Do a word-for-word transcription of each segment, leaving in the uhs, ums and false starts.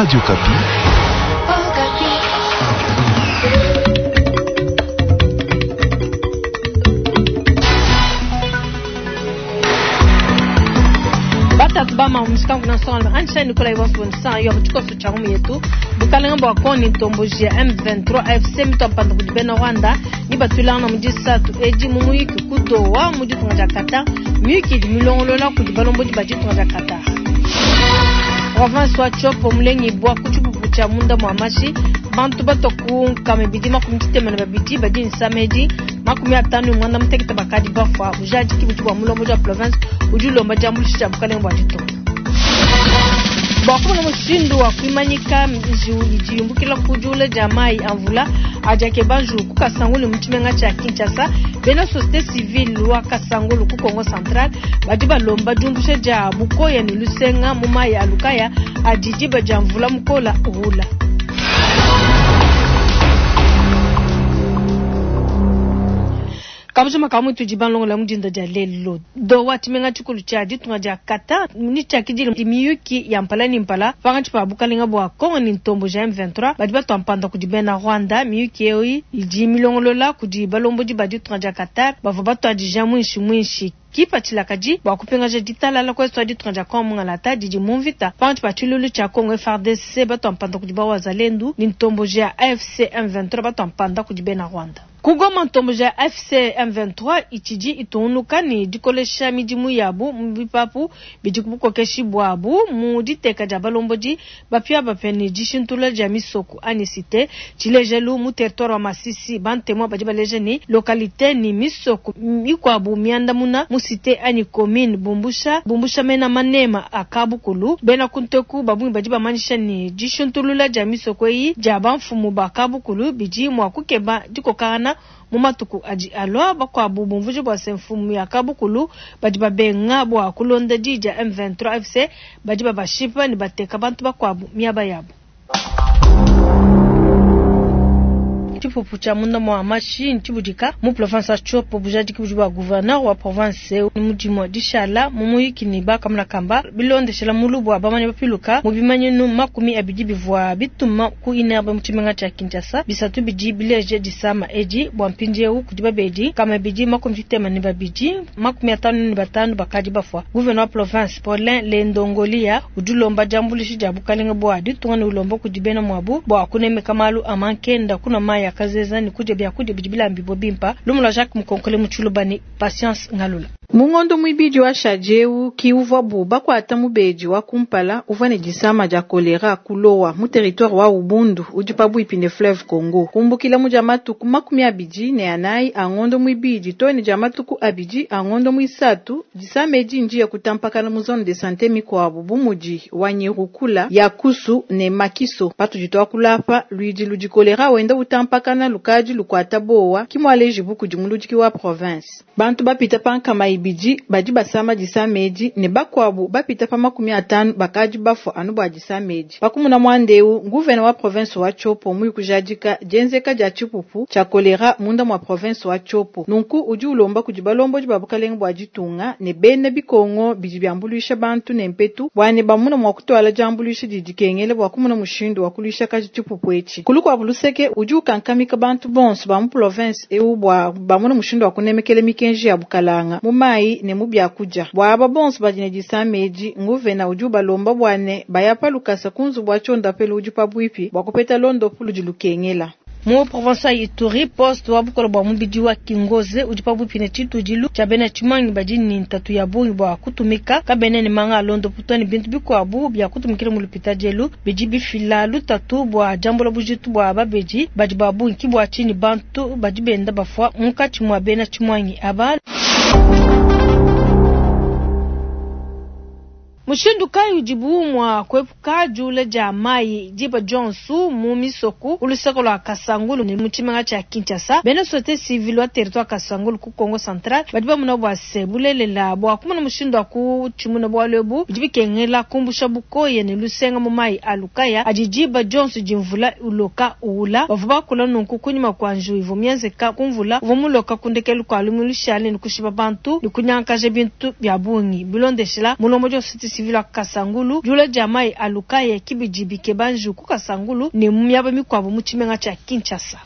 Radio Okapi. Batatu bama mushikangu na nsonga anjisha Nicolas Iwansu bonisa yo tshikoso tsha ngumu yetu bukalenge bua Kongo ntomboji ya M vingt-trois A F C mitwa mpanda kudi bena Rwanda ni batulana mu disatu edi mu muyiki ku Doha mu ditunga dia Qatar muyiki idi milongolola kudi balombodi ba ditunga dia Qatar. Province wa Tshopo mulengi bwa ku tshipupu tshia munda mwa mashi bantu batoku nkama ibidi makumi tshitema na babidi badi nsamedi makumi atanu mwanda mutekete bakadi bafwa bujadiki budi bua mulombodi wa province udi ulomba diambuluisha dia bukalenge bua ditunga. Bua kumona mushindu wa kuimanyika njiwu idi yumbukila ku diula dia mayi a mvula adi akeba njiwu ku Kasangulu mu tshimenga tshia Kinshasa, bena société civile wa Kasangulu ku Kongo Central badi balomba diumbusha dia bukoya ne lusenga mu mayi a Lukaya adi diba dia mvula mukola uhula. Kabujuma ka mutu di banlongo la mudinda dia lelo. Doha tshimenga tshikulu tshia ditunga dia Qatar ni tshia kidile miyuki ya mpala ni mpala pankatshi pa bukalenga bua Kongo ni ntombo ja M vingt-trois badi batwa mpanda kudi bena Rwanda. Miyuki eyi idi milongolola kudi balombodi ba ditunga dia Qatar bavua batuadija mwinshi mwinshi kipatshila kadi bua kupingaja ditalala kwesu a ditunga dia Kongo mungalata didi mu mvita pankatshi pa tshilulu tshia Kongo F R D C batwa mpanda kudi ba Wazalendu ni ntombo ja A F C M vingt-trois batwa mpanda kudi bena Rwanda. Kugoma ntombo ja F C M vingt-trois itshidi itunuka ni dikolesha midimu yabu mu bipapu bidi kubukokeshi bwabu mu diteka dia balombodi bapia bapia ni dishintula dia misoko ani cité tshilejelu mu territoire wa Masisi bantemwa badi baleja ni localité ni misoko mikwabu miandamuna mu cité ani commune bumbusha bumbusha mena manema akabukulu bena kunteku babungi badi bamanyisha ni dishintulula dia misoko eyi dia bamfumu bakabukulu bidi mwa kukeba dikokana mu matuku adi alwa bakwabu bumvuji bua se mfumu ya kabukulu badi babenga bua kulonda di dia M vingt-trois F C badi babashipa ne bateka bantu bakwabu miaba yabo. Tshipupu tshia munda mwa mashi ntshibudika mu province ya Tshopo bujadiki budi bua gouverneur wa province mu dimue dishala mu muyiki ne bakamuna kamba bilondeshela mulubu wa bamanya bapiluka mu bimanyinu makumi abidi bivua bituma ku inerbe mu tshimenga tshia Kinshasa bisatu bidi bileje disama edi bua mpindieu kudi babedi kama bidi makumi tshitema ne babidi makumi atanu ne batanu bakadi bafua. Gouverneur wa province Paulin Lendongolia udi ulomba diambuluisha dia bukalenge bua ditunga ne ulomba kudi bena muabu bua kunemeka malu a mankenda kuna mayi kazeza ni kuja bya kuja bidibila mbibo bimpa lumula Jacques Mukonkole Mutshulubani Patience Ngalula. Mungondo mwibidi wa shajeu ki uvwa buba kwa ata mubeji wa kumpala uvwa ne disama dia kolera kulowa mu territoire wa Ubundu udi pabuipi ne fleuve Congo. Kumbukila mu dia matuku makumi abidi ne anayi a ngondo mwibidi to ne dia matuku abidi a ngondo mwisatu disama edi ndiye kutampakana mu zone de santé mikwabu bu mudi wa Nyirukula ya Kusu ne Makiso. Patudi twakulapa luidi ludi kolera wenda utampakana lukadi lukwata bowa kimwaleji buku dimuludiki wa province. Bantu bapita pankama ibidi badi basama disamedi ne bakwabu bapita pa makumi atanu bakadi bafwa anu bwa disamedi. Bakumuna mwandeu gouverneur wa province wa Tshopo muyi kujadika dienzeka dia tshipupu tshia kolera munda mwa province wa Tshopo. Nunku udi ulomba kudi balombodi ba bukalenge bua ditunga ne bena bikongo bidi biambuluisha bantu ne mpetu bua ne bamuna mwa kutwala diambuluisha didi kengele bua kumuna mushindu wa kuluisha kaji tshipupu etshi. Kulu kwa buluseke udi ukankamika bantu bonso ba mu province eu bua bamuna mushindu wa kunemekela mikenji ya bukalanga mu mayi ne mu byakudia. Bua aba bonso badi ne disamedi nguvena udi ubalomba bua ne bayapa lukasa kunzu bua tshionda pelu udi pabuipi bua kupeta londopu ludi lukengela. Mu province ya Ituri poste wa bukolo bua mubidi wa Kingoze udi pabuipi ne tshitudilu tshia bena tshimangi badi ne ntatu ya bungi bua kutumika kabene ne manga a londopu to ne bintu bikuabu bia kutumikila mu lupita dielu bidi bifila lutatu bua diambula bujitu bua babedi badi ba bungi ki bua tshinyi bantu badi benda bafua munkatshi mua bena tshimangi aba. Mushindu kayi udibu mua kuepuka diula dia mayi diba dionso mu misoko ku luseke lua Kasangulu ne mu tshimenga tshia Kinshasa. Bena société civile wa territoire Kasangulu ku Kongo Central badi bamona bua se bulelela bua kumona mushindu wa kutshimuna bualu ebu bidi bikengela kumbusha bukoya ne lusenga mu mayi a Lukaya adi diba dionso di mvula uloka uula. Bavua bakula nunku kunyima kua njiwu ivua mienzeka ku mvula uvua muloka ku ndekelu kua lumingu lushale ne kushipa bantu ne kunyangakaja bintu bia bungi. Bilondeshela mulombodi wa société civile wa Kasangulu, diula dia mayi a lukaya ki bidi bikeba njiu ku Kasangulu ne mu miaba mikuabu mu tshimenga tshia Kinshasa.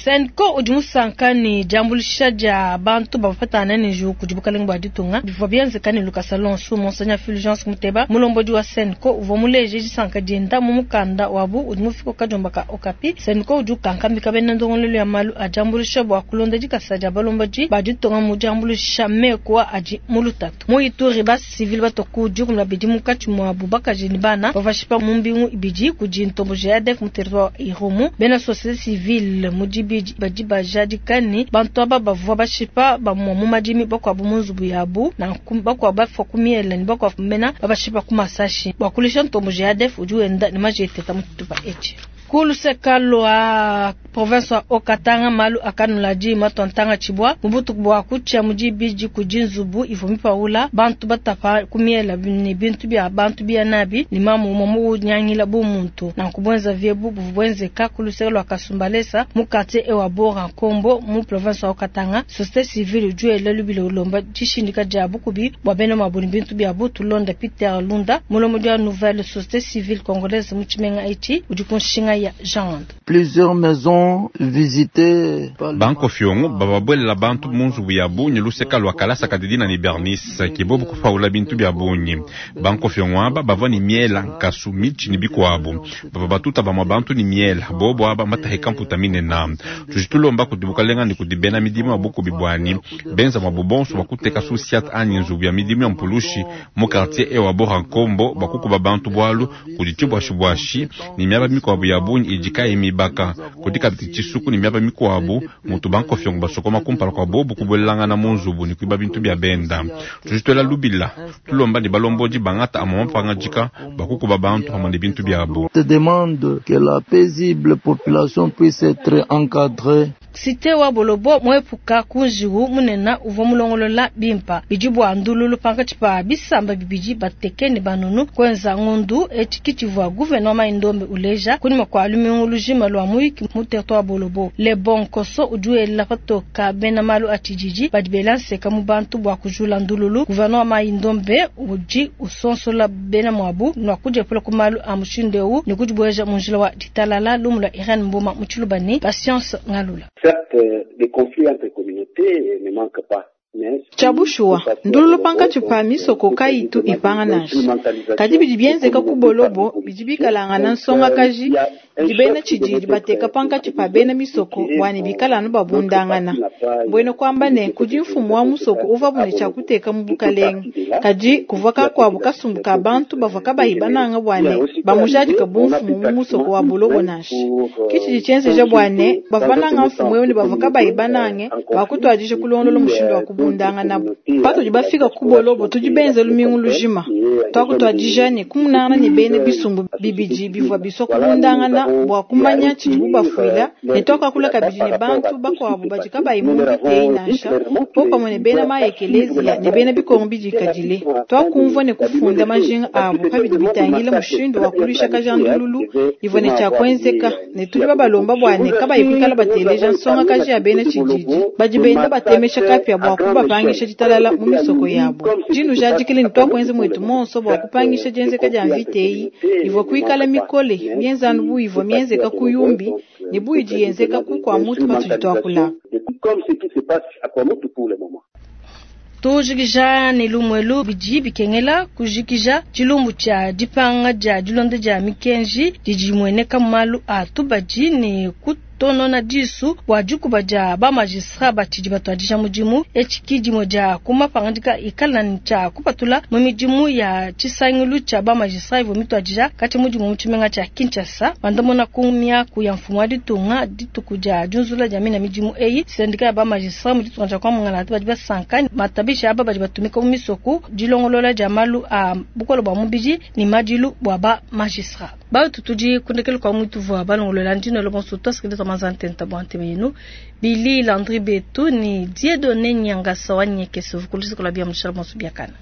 Cenco udi musanka ne diambuluisha dia bantu bavua bapetangana ne njiwu kudi bukalenge bua ditunga bivua bienzeka ne lukasa luonso. Monseigneur Fulgence Muteba, mulombodi wa Cenco, uvua muleje disanka dienda mu mukanda wabu udi mufika ku kadiomba ka Okapi. Cenco udi ukankamika bena ndongoluelu ya malu a diambuluisha bua kulonda dikasa dia balombodi ba ditunga mu diambuluisha meku adi mu lutatu. Mu Ituri, ba civil batua ku dikumi babidi munkatshi muabu bakaji ne bana bavua bashipa mu mbingu ibidi kudi ntomboji ya A D F mu territoire Irumu. Bena société civile mu dibidi badi bajadika ne bantu aba bavua bashipa bamue mu madimi, bakuabu mu nzubu yabu, nanku bakuabu bafua ku miele ne bakuabu mena babashipa ku masashi. Bua kulisha ntomboji ya A D F udi wenda ne majeteta mu tshitupa etshi. Ku luseka lua province wa Haut-Katanga, malu akanuladi matwantanga tshibwa mu butuku bua kutshia mu dibidi kudi nzubu ivua mipaula bantu batapa ku miela ne bintu bia bantu bia nabi ne mamu umue munyangila bu muntu. Nanku bwenza vyebu buvua bwenzeka ku luseka lua Kasumbalesa mu quartier ewa Bora Nkombo mu province wa Haut-Katanga. Société civile udi wela lubila ulomba dishindika dia bukubi bua bena mabu ne bintu bia butu. Londa Peter Lunda, mulombodi wa nouvelle société civile congolaise mu tshimenga etshi udi ku nshinga ya Jean. Plusieurs maisons visitées. Banko fiongo bababwelela bantu mu nzubu ya bunyi luseka lwa kalasa kadidina ni Bernice kibobu kufaula bintu bya bunyi. Banko fiongo aba bavua ni miela nkasu michi ni bikwabu. Baba batuta bamwa bantu ni miela bobo aba mataheka mputa minena. Tujitulomba kudibukalenga ni kudibena midimu ya buku bibwani. Benza mwa bobonso bakuteka susiat anyi nzubu ya midimu ya mpulushi mu quartier ewa Bora Nkombo bakukuba bantu bwalu kuditshibwashibwashi ni miaba mikwabu ya bunyi ijika emibaka kudika bitshisuku ni miaba mikwabu mutu banko fyongo basokoma kumpala kwa bobu kubwelelangana mu nzubu ni kuiba bintu bya benda. Tujitwela lubila tulomba ni balomboji bangata amama pangajika bakukuba bantu pamwe ne bintu byabo. Te demande que la paisible population puisse être encadrée. Cité wa Bolobo mwepuka kunjiwu munena uvua mulongolola bimpa bidi bua ndululu pankatshi pa bisamba bibidi bateke ne banunu kwenza ngondu etshi tshivua gouverneur Mai-Ndombe uleja kunyima kua lumingu lujima lua muyiki mu territoire Bolobo. Le bon koso udi wela patoka bena malu a tshididi badi bela nseka mu bantu bua kujula ndululu. Gouverneur Mai-Ndombe udi usonsola bena muabu nua kudiepula ku malu a mushindu eu ne kudibueja mu njila wa ditalala. Lumu lua Irene Mboma mu Tshilubani, Patience Ngalula. Certes, les conflits entre communautés ne manquent pas. Chabushua, ndululu pankatshi pa misoko kayitu ipanga nansha. Kadi bidi bienzeka ku Bolobo, bidi bikalangana nsongakaji, bidi bena tshididi bateka pankatshi pa bena misoko bua ne bikala anu babundangana. Mbwena kuamba ne kudi mfumu wa musoko uvua bune tshia kuteka mu bukalenge. Kadi kuvua kakuabu kasumbu ka bantu bavua kabayi bananga bua ne bamujadika bu mfumu mu musoko wa Bolobo nansha. Ki tshidi tshienzeja bua ne bavua bananga mfumu eu ne bavua kabayi banange bakutuadija kulondolola mushindu wa kubundangana nabo. Patudi bafika ku Bolobo tudi benza lumingu lujima. Twakutwadija ne kumunangana ne bena bisumbu bibidi bivua bisua kubundangana bua kumanya tshidibu bafuila ne twakakula kabidi ne bantu bakuabu badi kabayi mu mvita nansha popamue ne bena maekeleziya ne bena bikongo bidikadile. Twakumvua ne kufunda majinga abu pabidi bitangila mushindu wa kuluisha kajandululu ivua ne tshia kuenzeka ne tudi babalomba bua ne kabayi kuikala bateleja nsongakaji ya bena tshididi badi benda batemesha kapia bua kubapangisha ditalala mu misoko yabo. Dinu jadikile ne twakuenza mwetu monso bua kupangisha dienzeka dia mvita eyi ivua kuikala mikole mienzanu bu ivua mienzeka ku yumbi ne bu idi yenzeka ku kwa mutu patudi twakula. Tujikija ne lumwelu bidi bikengela kujikija tshilumbu tshia dipanga dia dilonda dia mikenji didi dimueneka mu malu a tubadi ne kutonona disu bua dikuba dia ba magistrat batshidi batuadija mudimu. Etshi ki dimue dia ku mapangadika ikala ne tshia kupatula mu midimu ya tshisangilu tshia ba magistrat ivua mituadija kati mudimu mu tshimenga tshia Kinshasa. Bandamuna ku miaku ya mfumu wa ditunga dituku dia diunzula dia mina midimu eyi sendika ya ba magistrat mu ditunga dia kwa Mongala badi basanka matabisha aba badi batumika mu misoko dilongolola dia malu a bukole bua mubidi ne madilu bua ba magistrat. Batu tudi kundekele kwa mutu vua balongolola ndino lo bonso twasikiliza mazantenta bwa nteme Billy Landry Betu ni Dieudonné Nyangasa wa Nyekeso vukulisi kula bia mshala bonso biakana.